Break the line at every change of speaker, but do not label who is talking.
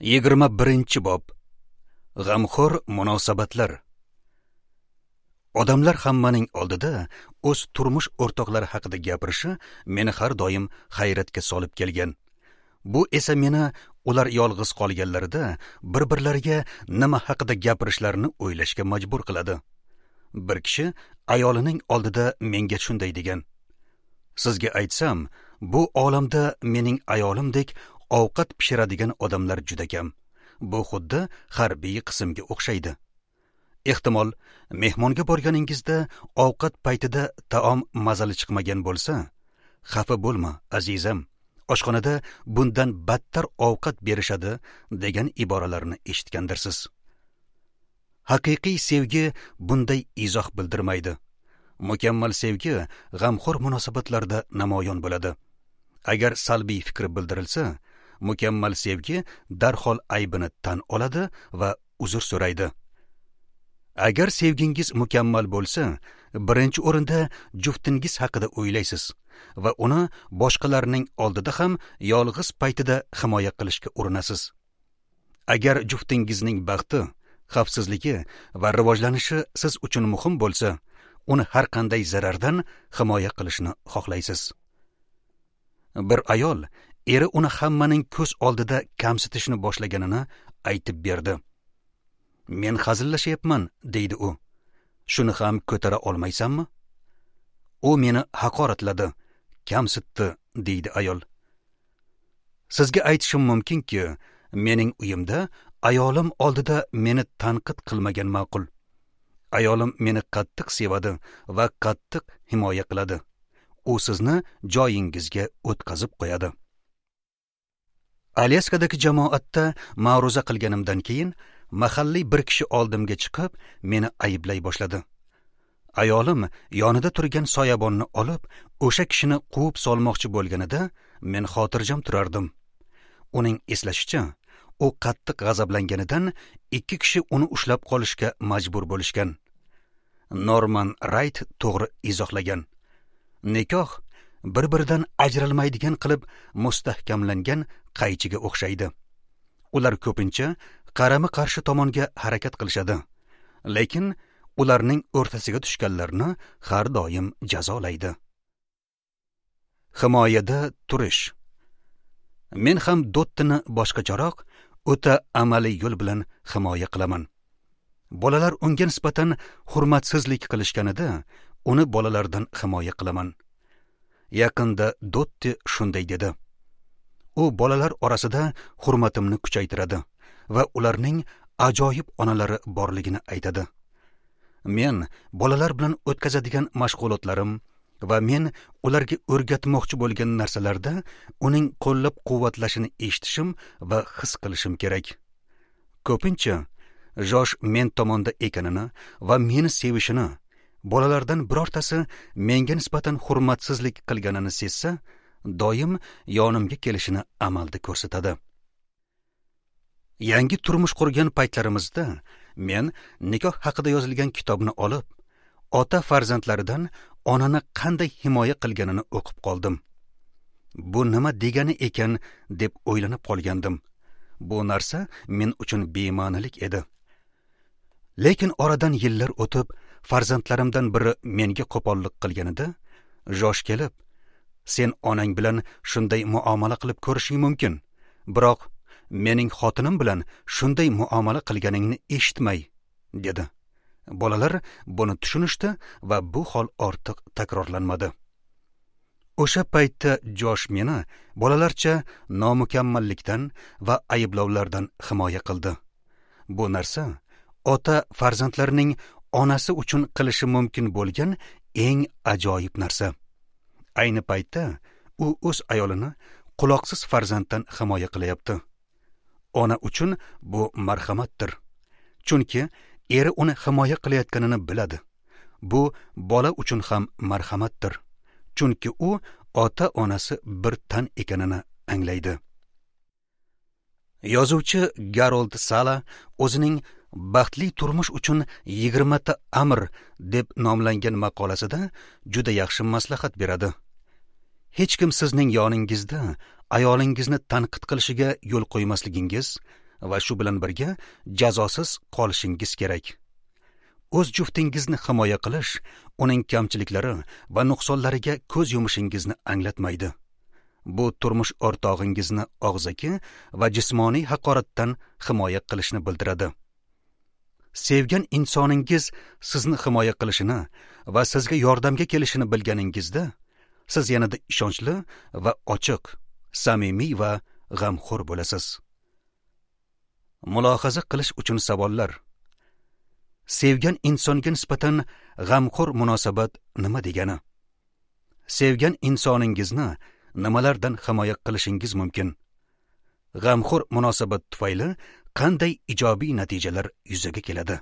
21-bob. G'amxo'r munosabatlar. Odamlar hammaning oldida o'z turmush o'rtoqlari haqida gapirishi meni har doim hayratga solib kelgan. Bu esa meni ular yolg'iz qolganlarida bir-birlariga nima haqida gapirishlarini o'ylashga majbur qiladi. Bir kishi ayolining oldida menga shunday degan: "Sizga aytsam, bu olamda mening ayolimdek ovqat pishiradigan odamlar juda kam. Bu xuddi harbiy qismga o'xshaydi. Ehtimol, mehmonga borganingizda ovqat paytida taom mazali chiqmagan bo'lsa, xafa bo'lma, azizam, oshxonada bundan battar ovqat berishadi" degan iboralarni eshitgandirsiz. Haqiqiy sevgi bunday izoh bildirmaydi. Mukammal sevgi g'amxo'r munosabatlarda namoyon bo'ladi. Agar salbiy fikr bildirilsa, mukammal sevgi darhol aybini tan oladi va uzr so'raydi. Agar sevgingiz mukammal bo'lsa, birinchi o'rinda juftingiz haqida o'ylaysiz va uni boshqalarning oldida ham yolg'iz paytida himoya qilishga urinasiz. Agar juftingizning baxti, xavfsizligi va rivojlanishi siz uchun muhim bo'lsa, uni har qanday zarardan himoya qilishni xohlaysiz. Bir ayol eri uni hammaning ko'z oldida kamsitishni boshlaganini aytib berdi. "Men hazillashyapman", deydi u. "Shuni ham ko'tara olmaysanmi?" "U meni haqoratladi, kamsitdi", deydi ayol. Sizga aytishim mumkinki, mening uyimda ayolim oldida meni tanqid qilmagan ma'qul. Ayolim meni qattiq sevadi va qattiq himoya qiladi. U sizni joyingizga o'tkazib qo'yadi. Alyaskadagi jamoatda ma'ruza qilganimdan keyin mahalliy bir kishi oldimga chiqib, meni ayblay boshladi. Ayolim yonida turgan soyabonni olib, o'sha kishini quvib solmoqchi bo'lganida men xotirjam turardim. Uning eslashicha, u qattiq g'azablanganidan ikki kishi uni ushlab qolishga majbur bo'lishgan. Norman Rayt to'g'ri izohlagan. Nikoh bir-biridan ajralmaydigan qilib mustahkamlangan qaychiga o'xshaydi. Ular ko'pincha qarama-qarshi tomonga harakat qilishadi, lekin ularning o'rtasiga tushganlarni har doim jazolaydi. Himoyada turish. Men ham Dottini boshqacharoq, o'ta amaliy yo'l bilan himoya qilaman. Bolalar unga nisbatan hurmatsizlik qilishganida uni bolalardan himoya qilaman. Yaqinda Dotti shunday dedi: "U bolalar orasida hurmatimni kuchaytiradi va ularning ajoyib onalari borligini aytadi. Men bolalar bilan o'tkazadigan mashg'ulotlarim va men ularga o'rgatmoqchi bo'lgan narsalarda uning qo'llab-quvvatlashini eshitishim va his qilishim kerak. Ko'pincha Josh men tomonda ekanini va meni sevishini, bolalardan birortasi menga nisbatan hurmatsizlik qilganini sezsa, doim yonimga kelishini amalda ko'rsatadi. Yangi turmush qurgan paytlarimizda men nikoh haqida yozilgan kitobni olib, ota farzandlaridan onani qanday himoya qilganini o'qib qoldim. Bu nima degani ekan deb o'ylanib qolgandim. Bu narsa men uchun bema'nilik edi. Lekin oradan yillar o'tib, farzandlarimdan biri menga qo'pollik qilganida, Josh kelib, "Sen onang bilan shunday muomala qilib ko'rishing mumkin, biroq mening xotinim bilan shunday muomala qilganingni eshitmay", dedi. Bolalar buni tushunishdi va bu hol ortiq takrorlanmadi. O'sha paytda Josh meni bolalarcha nomukammallikdan va ayblovlardan himoya qildi. Bu narsa ota farzandlarining onasi uchun qilishi mumkin bo'lgan eng ajoyib narsa. Ayni paytda u o'z ayolini quloqsiz farzanddan himoya qilyapti. Ona uchun bu marhamatdir. Chunki eri uni himoya qilayotganini biladi. Bu bola uchun ham marhamatdir. Chunki u ota-onasi bir tan ekanini anglaydi. Yozuvchi Garold Sala o'zining "Baxtli turmush uchun 20 ta amr" deb nomlangan maqolasida juda yaxshi maslahat beradi. Hech kim sizning yoningizda ayolingizni tanqid qilishiga yo'l qo'ymasligingiz va shu bilan birga jazosiz qolishingiz kerak. O'z juftingizni himoya qilish uning kamchiliklari va nuqsonlariga ko'z yumishingizni anglatmaydi. Bu turmush o'rtog'ingizni og'zaki va jismoniy haqoratdan himoya qilishni bildiradi. Sevgan insoningiz sizni himoya qilishini va sizga yordamga kelishini bilganingizda, siz yanada ishonchli va ochiq, samimiy va g'amxo'r bo'lasiz. Mulohaza qilish uchun savollar. Sevgan insonga nisbatan g'amxo'r munosabat nima degani? Sevgan insoningizni nimalardan himoya qilishingiz mumkin? G'amxo'r munosabat tufayli qanday ijobiy natijalar yuzaga keladi?